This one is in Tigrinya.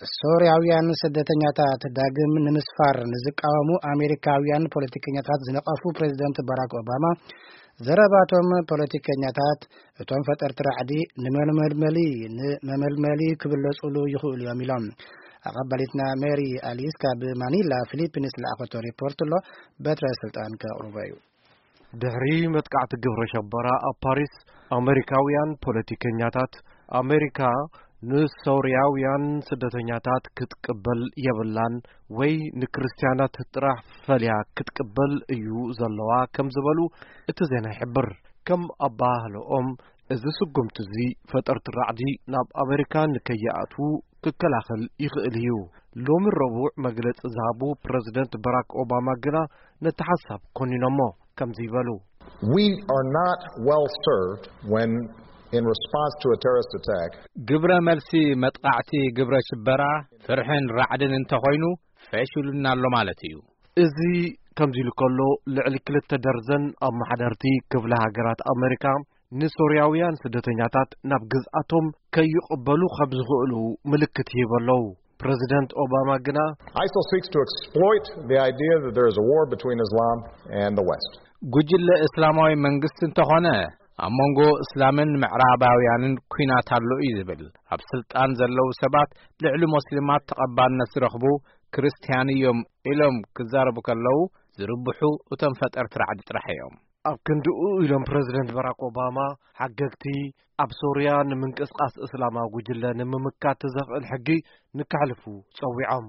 ሶርያውያን ስደተኛታት ዳግም ንምስፋር ንዝቃወሙ ኣሜሪካውያን ፖለቲከኛታት ዝነቐፉ ፕሬዚደንት ባራክ ኦባማ፣ ዘረባቶም ፖለቲከኛታት እቶም ፈጠርቲ ራዕዲ ንመመልመሊ ንመመልመሊ ክብለጹሉ ይኽእሉ እዮም ኢሎም። ኣቐባሊትና ሜሪ ኣሊስ ካብ ማኒላ ፊሊፒንስ ዝለኣኸቶ ሪፖርት ኣሎ። በትረ ስልጣን ከቕርቦ እዩ። ድሕሪ መጥቃዕቲ ግብረ ሸበራ ኣብ ፓሪስ፣ ኣሜሪካውያን ፖለቲከኛታት፣ ኣሜሪካ ንሶርያውያን ስደተኛታት ክትቅበል የብላን ወይ ንክርስትያናት ጥራሕ ፈልያ ክትቅበል እዩ ዘለዋ ከም ዝበሉ እቲ ዜና ይሕብር። ከም ኣባህልኦም፣ እዚ ስጉምቲ እዚ ፈጠርቲ ራዕዲ ናብ ኣሜሪካ ንከይኣትዉ ክከላኸል ይኽእል እዩ። ሎሚ ረቡዕ መግለጺ ዝሃቡ ፕረዚደንት ባራክ ኦባማ ግና ነቲ ሓሳብ ኮኒኖሞ ከምዚ ይበሉ። We are not well served when, in response to a terrorist attack, ግብረ መልሲ መጥቃዕቲ ግብረ ሽበራ፣ ፍርሕን ራዕድን እንተኾይኑ፣ ፈሽሉና ኣሎ ማለት እዩ። እዚ ከምዚ ኢሉ ከሎ፣ ልዕሊ ክልተ ደርዘን ኣመሓደርቲ ክፍለ ሃገራት ኣሜሪካ ንሶርያውያን ስደተኛታት ናብ ግዝኣቶም ከይቕበሉ ከም ዝኽእሉ ምልክት ይህቡ ኣለዉ። ፕረዚደንት ኦባማ ግና፣ ISIL seeks to exploit the idea that there is a war between Islam and the West. ጉጅለ እስላማዊ መንግስቲ እንተኾነ፣ ኣብ መንጎ እስላምን ምዕራባውያንን ኲናት ኣሎ እዩ ዝብል። ኣብ ስልጣን ዘለዉ ሰባት ልዕሊ ሞስሊማት ተቐባልነት ዝረኽቡ ክርስትያን እዮም ኢሎም ክዛረቡ ከለዉ፣ ዝርብሑ እቶም ፈጠርቲ ራዕዲ ጥራሕ እዮም። ኣብ ክንድኡ ኢሎም ፕረዚደንት ባራክ ኦባማ፣ ሓገግቲ ኣብ ሶርያ ንምንቅስቓስ እስላማዊ ጉጅለ ንምምካት ዘኽእል ሕጊ ንከሕልፉ ጸዊዖም።